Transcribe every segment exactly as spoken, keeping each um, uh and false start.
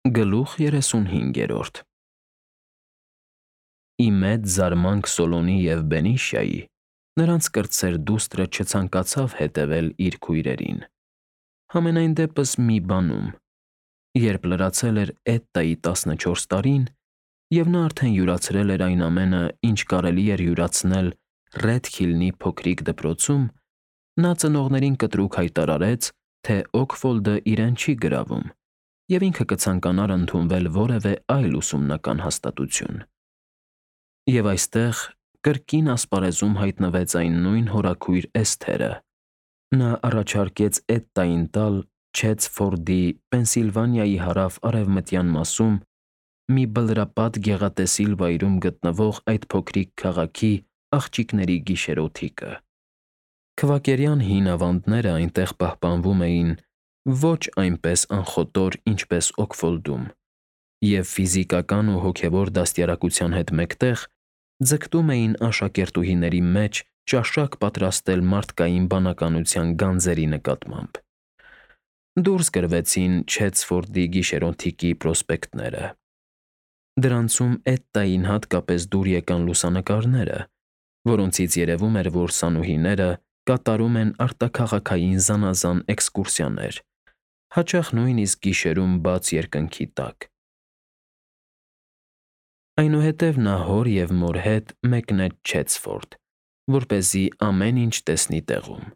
Գլուխ երեսունհինգերորդ Ի մեծ զարմանք Սոլոմոնի և Բենիշայի, նրանց կրտսեր դուստրը չցանկացավ հետևել իր քույրերին, համենայն դեպս մի բանում. երբ լրացել էր Էդտայի տասնչորս տարին, և նա արդեն յուրացրել էր այն ամենը, ինչ կարելի էր յուրացնել Ռեդքիլնի փոքրիկ դպրոցում, նա ծնողներին կտրուկ հայտարարեց, թե Օքֆոլդը իրեն չի գրավում, և ինքը կցանկանար ընդունվել որևէ այլ ուսումնական հաստատություն։ Եվ այստեղ կրկին ասպարեզում հայտնվեց այն նույն հորաքույր Էսթերը. նա առաջարկեց Էդտային տալ Չեցֆորդի, Պենսիլվանիայի հարավ֊արևմտյան մասում մի բլրապատ գեղատեսիլ վայրում գտնվող այդ փոքրիկ քաղաքի աղջիկների գիշերօթիկը։ Քվակերյան հին ավանդները այնտեղ պահպանվում էին ոչ այնպես անխոտոր, ինչպես Օքֆոլդում, և ֆիզիկական ու հոգևոր դաստիարակության հետ մեկտեղ ձգտում էին աշակերտուհիների մեջ ճաշակ պատրաստել մարդկային բանականության գանձերի նկատմամբ։ Դուրս գրվեցին Չեցֆորդի գիշերօթիկի պրոսպեկտները։ Դրանցում Էդտային հատկապես դուր եկան լուսանկարները, որոնցից երևում էր, որ սանուհիները կատարում են արտաքաղաքային զանազան էքսկուրսիաներ, հաճախ նույնիսկ գիշերում բաց երկնքի տակ։ Այնուհետև նա հոր և մոր հետ մեկնեց Չեցֆորդ, որպեսզի ամեն ինչ տեսնի տեղում,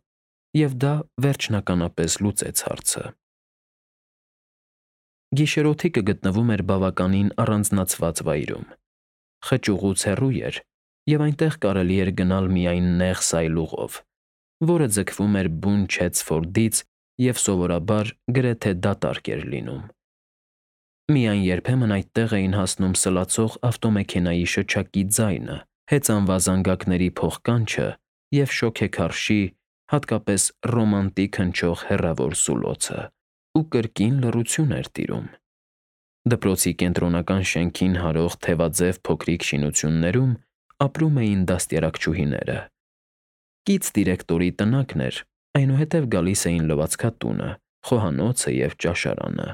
և դա վերջնականապես լուծեց հարցը։ Գիշերօթիկը գտնվում էր բավականին առանձնացված վայրում, խճուղուց հեռու էր, և այնտեղ կարելի էր գնալ միայն նեղ սայլուղով, որը ձգվում էր բուն Չեցֆորդից և սովորաբար գրեթե դատարկ էր լինում։ Միայն երբեմն այդտեղ էին հասնում սլացող ավտոմեքենայի շչակի ձայնը, հեծանվազանգակների փոխկանչը և շոգեքարշի, հատկապես ռոմանտիկ հնչող հեռավոր սուլոցը, ու կրկին լռություն էր տիրում։ Դպրոցի կենտրոնական շենքին հարող թևաձև փոքրիկ շինություններում ապրում էին դաստիարակչուհիները։ Կից դիրեկտորի տնակն էր, այնուհետև գալիս էին լվացքատունը, խոհանոցը և ճաշարանը։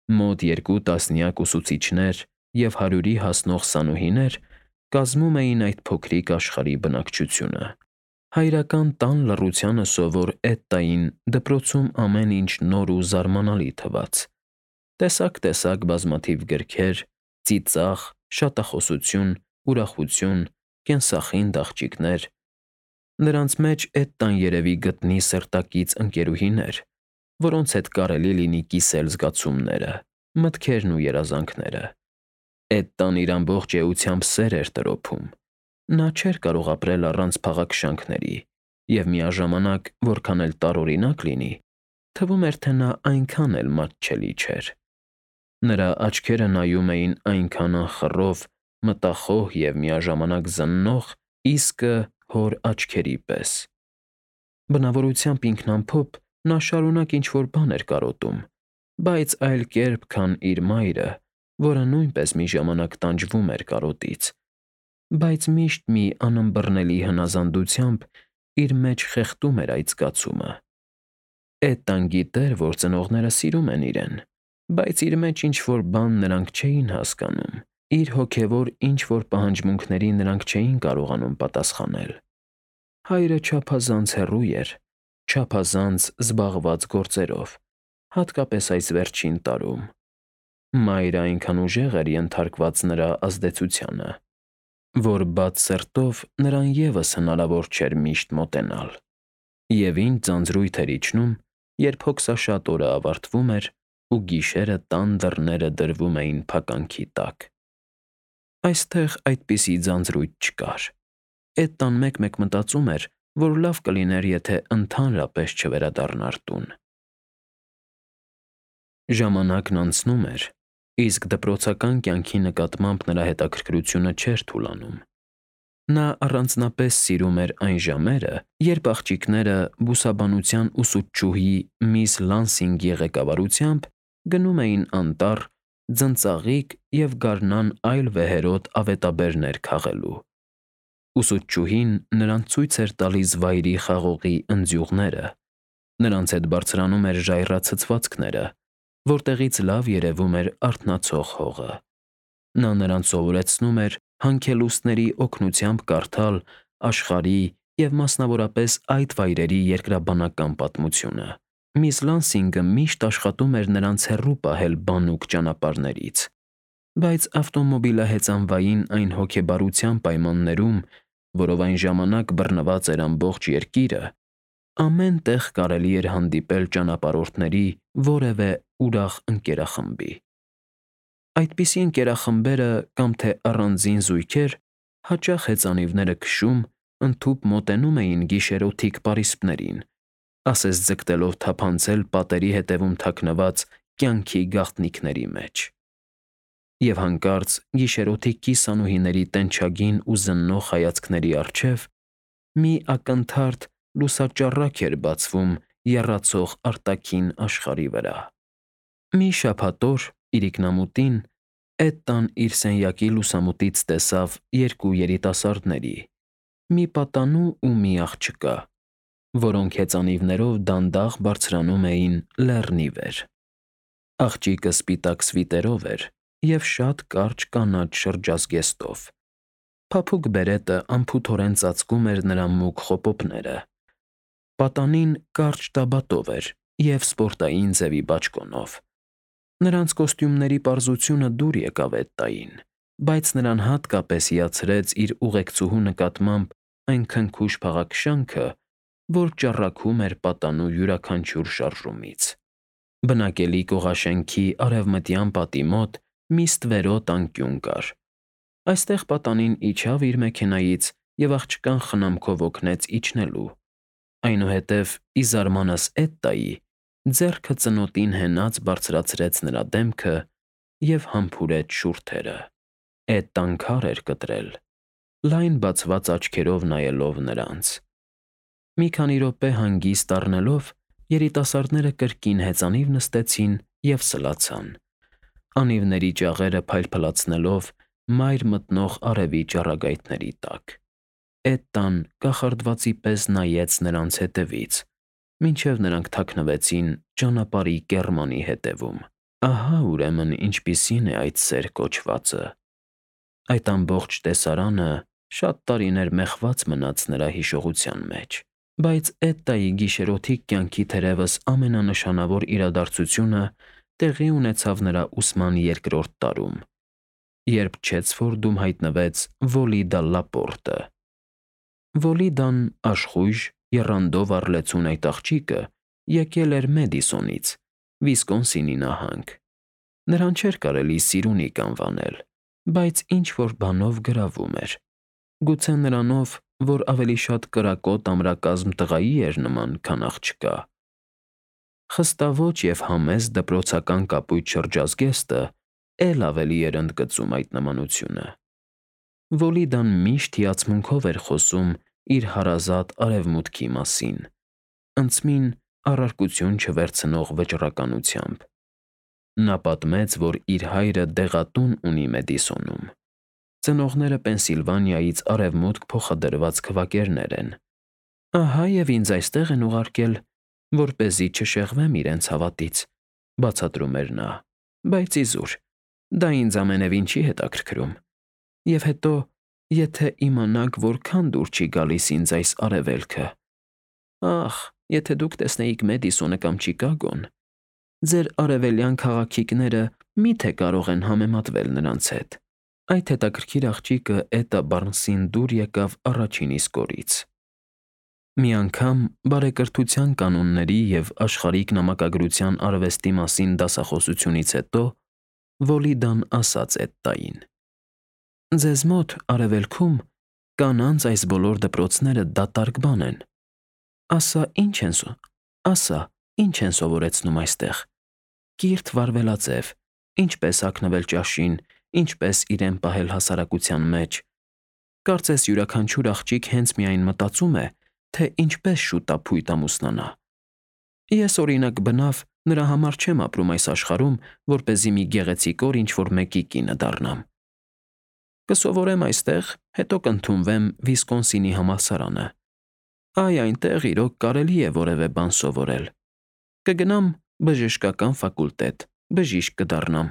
Մոտ երկու տասնյակ ուսուցիչներ և հարյուրի հասնող սանուհիներ կազմում էին այդ փոքրիկ աշխարհի բնակչությունը։ Հայրական տան լռությանը սովոր Էդտային դպրոցում ամեն ինչ նոր ու զարմանալի թվաց. տեսակ֊տեսակ բազմաթիվ գրքեր, ծիծաղ, շատախոսություն, ուրախություն, կենսախինդ աղջիկներ։ Նրանց մեջ Էդտան երևի գտնի սրտակից ընկերուհիներ, որոնց հետ կարելի լինի կիսել զգացումները, մտքերն ու երազանքները։ Էդտան իր ամբողջ էությամբ սեր էր տրոփում։ Նա չէր կարող ապրել առանց փաղաքշանքների, և միաժամանակ, որքան էլ տարօրինակ լինի, թվում էր, թե նա այնքան էլ մատչելի չէր։ Նրա աչքերը նայում էին այնքան անխռով, մտախոհ և միաժամանակ զննող, իսկը հոր աչքերի պես։ Բնավորությամբ ինքնամփոփ նա շարունակ ինչ֊որ բան էր կարոտում, բայց այլ կերպ, քան իր մայրը, որը նույնպես մի ժամանակ տանջվում էր կարոտից, բայց միշտ մի անըմբռնելի հնազանդությամբ իր մեջ խեղդում էր այդ զգացումը։ Էդտան գիտեր, որ ծնողները սիրում են իրեն, բայց իր մեջ ինչ֊որ բան նրանք չէին հասկանում, իր հոգևոր ինչ֊որ պահանջմունքների նրանք չէին կարողանում պատասխանել։ Հայրը չափազանց հեռու էր, չափազանց զբաղված գործերով, հատկապես այս վերջին տարում։ Մայրը այնքան ուժեղ էր ենթարկված նրա ազդեցությանը, որ բաց սրտով նրան ևս հնարավոր չէր միշտ մոտենալ։ Եվ ինչ ձանձրույթ էր իջնում, երբ հոգսաշատ օրը ավարտվում էր, ու գիշերը տան դռները դրվում էին փականքի տակ։ Այստեղ այդպիսի ձանձրույթ չկար։ Էդտան մեկ֊մեկ մտածում էր, որ լավ կլիներ, եթե ընդհանրապես չվերադառնար տուն։ Ժամանակն անցնում էր, իսկ դպրոցական կյանքի նկատմամբ նրա հետաքրքրությունը չէր թուլանում։ Նա առանձնապես սիրում էր այն ժամերը, երբ աղջիկները բուսաբանության ուսուցչուհի միս Լանսինգի ղեկավարությամբ գնում էին անտառ ձնծաղիկ և գարնան այլ վեհերոտ ավետաբերներ քաղելու։ Ուսուցչուհին նրանց ցույց էր տալիս վայրի խաղողի ընձյուղները, նրանց հետ բարձրանում էր ժայռացցվածքները, որտեղից լավ երևում էր արթնացող հողը։ Նա նրանց սովորեցնում էր հանքելուստների օգնությամբ կարդալ աշխարհի և մասնավորապես այդ վայրերի երկրաբանական պատմությունը։ Միս Լանսինգը միշտ աշխատում էր նրանց հեռու պահել բանուկ ճանապարհներից, բայց ավտոմոբիլահեծանվային այն հոգեբարության պայմաններում, որով այն ժամանակ բռնված էր ամբողջ երկիրը, ամեն տեղ կարելի էր հանդիպել ճանապարհորդների որևէ ուրախ ընկերախմբի։ Այդպիսի ընկերախմբերը կամ թե առանձին զույգեր հաճախ հեծանիվները քշում, ընդհուպ մոտենում էին գիշերօթիկ պարիսպներին, ասես ձգտելով թափանցել պատերի հետևում թաքնված կյանքի գաղտնիքների մեջ։ Եվ հանկարծ գիշերօթիկ կիսանուհիների տենչագին ու զննող հայացքների առջև մի ակնթարթ լուսաճառակ էր բացվում եռացող արտաքին աշխարհի վրա։ Մի շաբաթօր իրիկնամուտին Էդդան իր սենյակի լուսամուտից տեսավ երկու երիտասարդների՝ մի պատանու ու մի աղջկա, որոնք հեծանիվներով դանդաղ բարձրանում էին լեռնի վեր։ Աղջիկը սպիտակ սվիտերով էր և շատ կարճ կանաչ շրջազգեստով։ Փափուկ բերետը անփութորեն ծածկում էր նրա մուգ խոպոպները։ Պատանին կարճ տաբատով էր և սպորտային ձևի բաճկոնով։ Նրանց կոստյումների պարզությունը դուր եկավ Էդդային, բայց նրան հատկապես հիացրեց իր ուղեկցուհու նկատմամբ այն քնքուշ փաղաքշանքը, որ ճառագում էր պատանու յուրաքանչյուր շարժումից։ Բնակելի կողաշենքի արևմտյան պատի մոտ մի ստվերոտ անկյուն կար։ Այստեղ պատանին իջավ իր մեքենայից և աղջկան խնամքով օգնեց իջնելու, այնուհետև, ի զարմանս Էդդայի, ձեռքը ծնոտին հենած բարձրացրեց նրա դեմքը և համբուրեց շուրթերը։ Էդդան քար էր կտրել, լայն բացված աչքերով նայելով նրանց։ Մի քանի րոպե հանգիստ առնելով՝ երիտասարդները կրկին հեծանիվ նստեցին և սլացան՝ անիվների ճաղերը փայլփլացնելով մայր մտնող արևի ճառագայթների տակ։ Էդդան կախարդվածի պես նայեց նրանց ետևից, մինչև նրանք թաքնվեցին ճանապարհի կեռմանի ետևում։ Ահա, ուրեմն, ինչպիսին է այդ սեր կոչվածը։ Այդ ամբողջ տեսարանը շատ տարիներ մեխված մնաց նրա հիշողության մեջ, բայց Էդդայի գիշերօթիկ կյանքի թերևս ամենանշանավոր իրադարձությունը տեղի ունեցավ նրա ուսման երկրորդ տարում, երբ Չեցֆորդում հայտնվեց Վոլիդա Լապորտը։ Վոլիդան, աշխույժ, եռանդով առլեցուն այդ աղջիկը եկել էր Մեդիսոնից, Վիսկոնսինի նահանգ։ Նրան չէր կարելի Սիրունիկ անվանել, բայց ինչ֊որ բանով գրավում էր։ Գուցե նրանով, որ ավելի շատ կրակոտ ամրակազմ տղայի էր նման, քան աղջկա։ Խստաոճ և համեստ դպրոցական կապույտ շրջազգեստը էլ ավելի էր ընդգծում այդ նմանությունը։ Վոլիդան միշտ հիացմունքով էր խոսում իր հարազատ Արևմուտքի մասին, ընդցմին առարկություն չվերցնող վճռականությամբ։ Նա պատմեց, որ իր հայրը դեղատուն ունի Մեդիսոնում։ Ծնողները Պենսիլվանիայից արևմուտք փոխադրված քվակերներ են։ Ահա և ինձ այստեղ են ուղարկել, որպեսզի չշեղվեմ իրենց հավատից, բացատրում էր նա, բայց իզուր, դա ինձ ամենևին չի հետաքրքրում։ Եվ հետո, եթե իմանաք, որքան դուր չի գալիս ինձ այս արևելքը… Ախ, եթե դուք տեսնեիք Մեդիսոնը կամ Չիկագոն… Ձեր արևելյան քաղաքիկները մի՞թե կարող են համեմատվել նրանց հետ։ Այդ հետաքրքիր աղջիկը Էդդա Բարնսին դուր եկավ առաջին իսկ օրից։ Մի անգամ բարեկրթության կանոնների և աշխարհիկ նամակագրության արվեստի մասին դասախոսությունից հետո Վոլիդան ասաց Էդդային. «Ձեզ մոտ, Արևելքում, կանանց այս բոլոր դպրոցները դատարկ բան են։ Ասա, ի՞նչ են, ասա, ի՞նչ են սովորեցնում այստեղ. կիրթ վարվելաձև, ինչպես հագնվել ճաշին, ինչպես իրեն պահել հասարակության մեջ։ Կարծես յուրաքանչյուր աղջիկ հենց միայն մտածում է, թե ինչպես շուտափույտ ամուսնանա։ Ես, օրինակ, բնավ նրա համար չեմ ապրում այս աշխարհում, որպեսզի մի գեղեցիկ օր ինչ֊որ մեկի կինը դառնամ։ Կսովորեմ այստեղ, հետո կընդունվեմ Վիսկոնսինի համալսարանը։ Այ այնտեղ, իրոք, կարելի է որևէ բան սովորել։ Կգնամ բժշկական ֆակուլտետ, բժիշկ կդառնամ։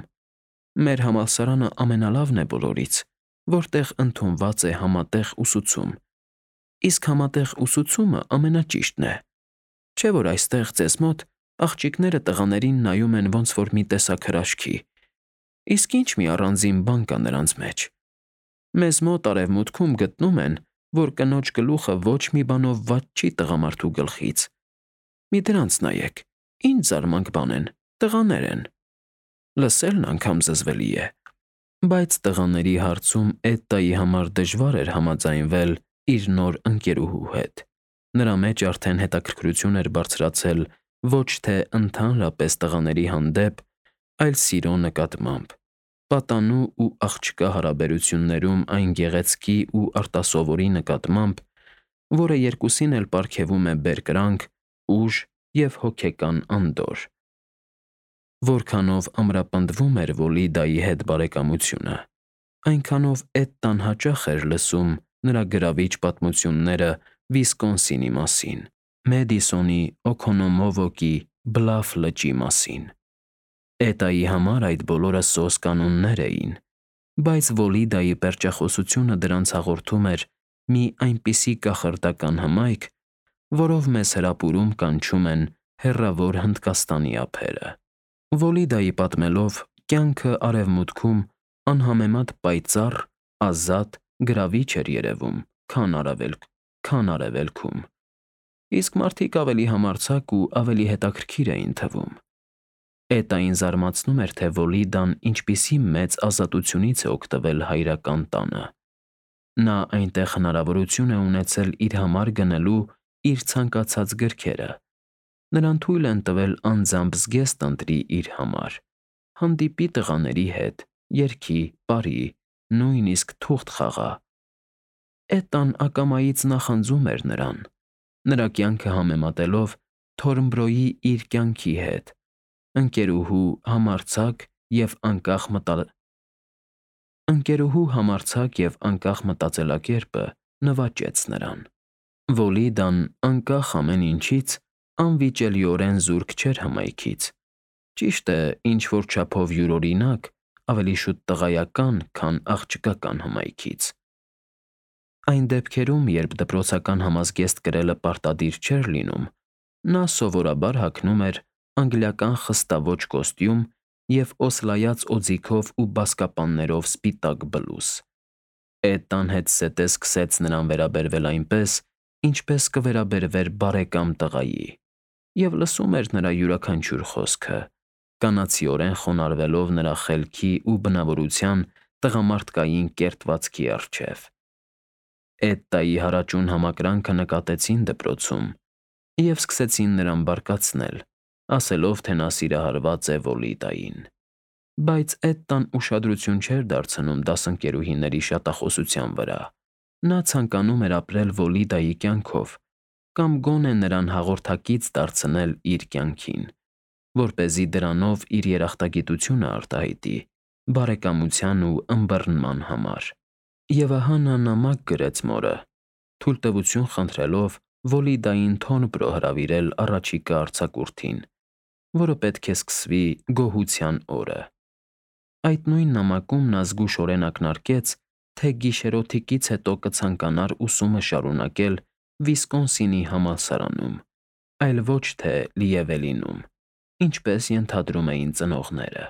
Մեր համալսարանը ամենալավն է բոլորից, որտեղ ընդունված է համատեղ ուսուցում, իսկ համատեղ ուսուցումը ամենաճիշտն է։ Չէ՞ որ այստեղ ձեզ մոտ աղջիկները տղաներին նայում են ոնց որ մի տեսակ հրաշքի, իսկ ինչ մի առանձին բան կա նրանց մեջ։ Մեզ մոտ արևմուտքում գտնում են, որ կնոջ գլուխը ոչ մի բանով վատ չի տղամարդու գլխից։ Մի դրանց նայեք, ինչ զարմանք բան են, տղաներ են։ Լսելն անգամ զզվելի է։ Բայց տղաների հարցում Էդդայի համար դժվար էր համաձայնվել իր նոր ընկերուհու հետ։ Նրա մեջ արդեն հետաքրքրություն էր բարձրացել ոչ թե ընդհանրապես տղաների հանդեպ, այլ սիրո նկատմամբ, պատանու ու աղջկա հարաբերություններում այն գեղեցկի ու արտասովորի նկատմամբ, որը երկուսին էլ պարգևում է բերկրանք, ուժ և հոգեկան անդորր։ Որքանով ամրապնդվում էր Վոլիդայի հետ բարեկամությունը, այնքանով Էդդան հաճախ էր լսում նրա գրավիչ պատմությունները Վիսկոնսինի մասին, Մեդիսոնի, Օքոնոմովոկի, Բլաֆ լճի մասին։ Էդդայի համար այդ բոլորը սոս կանոններ էին, բայց Վոլիդայի պերճախոսությունը դրանց հաղորդում էր մի այնպիսի կախարդական հմայք, որով մեզ հրապուրում կանչում են հեռավոր Հնդկաստանի ափերը։ Վոլիդայի պատմելով, կյանքը արևմուտքում անհամեմատ պայծառ, ազատ, գրավիչ էր երևում, քան արևելք, քան արևելքում, իսկ մարդիկ ավելի համարձակ ու ավելի հետաքրքիր էին թվում։ Էդդային զարմացնում էր, թե Վոլիդան ինչպիսի մեծ ազատությունից է օգտվել հայրական տանը։ Նա այնտեղ հնարավորություն է ունեցել իր համար գնելու իր ցանկացած գրքերը։ Նրան թույլ են տվել անձամբ զգեստ ընտրի իր համար, հանդիպի տղաների հետ, երգի, պարի, նույնիսկ թուղթ խաղա։ Էդդան ակամայից նախանձում էր նրան, նրա կյանքը համեմատելով Թորնբրոյի իր կյանքի հետ, ընկերուհու համարձակ և անկախ մտա... ընկերուհու համարձակ և անկախ մտածելակերպը նվաճեց նրան։ Վոլիդան, անկախ ամեն ինչից, անվիճելիորեն զուրկ չէր հմայքից, ճիշտ է, ինչ-որ չափով յուրօրինակ, ավելի շուտ տղայական, քան աղջկական հմայքից։ Այն դեպքերում, երբ դպրոցական համազգեստ կրելը պարտադիր չէր լինում, նա սովորաբար հագնում էր անգլիական խստաոճ կոստյում և օսլայած օձիքով ու բազկապաններով սպիտակ բլուզ։ Էդդան հետզհետե սկսեց նրան վերաբերվել այնպես, ինչպես կվերաբերվեր բարեկամ տղայի, և լսում էր նրա յուրաքանչյուր խոսքը, կանացիորեն խոնարհվելով նրա խելքի ու բնավորության տղամարդկային կերտվածքի առջև։ Էդդայի հարաճուն համակրանքը նկատեցին դպրոցում և սկսեցին նրան բարկացնել, ասելով, թե նա սիրահարված է Վոլիդային։ Բայց Էդդան ուշադրություն չէր դարձնում դասընկերուհիների շատախոսության վրա։ Նա ցանկանում էր ապրել Վոլիդայի կյանքով կամ գոնե նրան հաղորդակից դարձնել իր կյանքին, որպեսզի դրանով իր երախտագիտությունը արտահայտի բարեկամության ու ըմբռնման համար։ Եվ ահա նա նամակ գրեց մորը, թույլտվություն խնդրելով Վոլիդային Թորնբրո հրավիրել առաջիկա արձակուրդին, որը պետք է սկսվի գոհության օրը։ Այդ նույն նամակում նա զգուշորեն ակնարկեց, թե գիշերօթիկից հետո կցանկանար ուսումը շարունակել Վիսկոնսինի համալսարանում, այլ ոչ թե Լիևելինում, ինչպես ենթադրում էին ծնողները։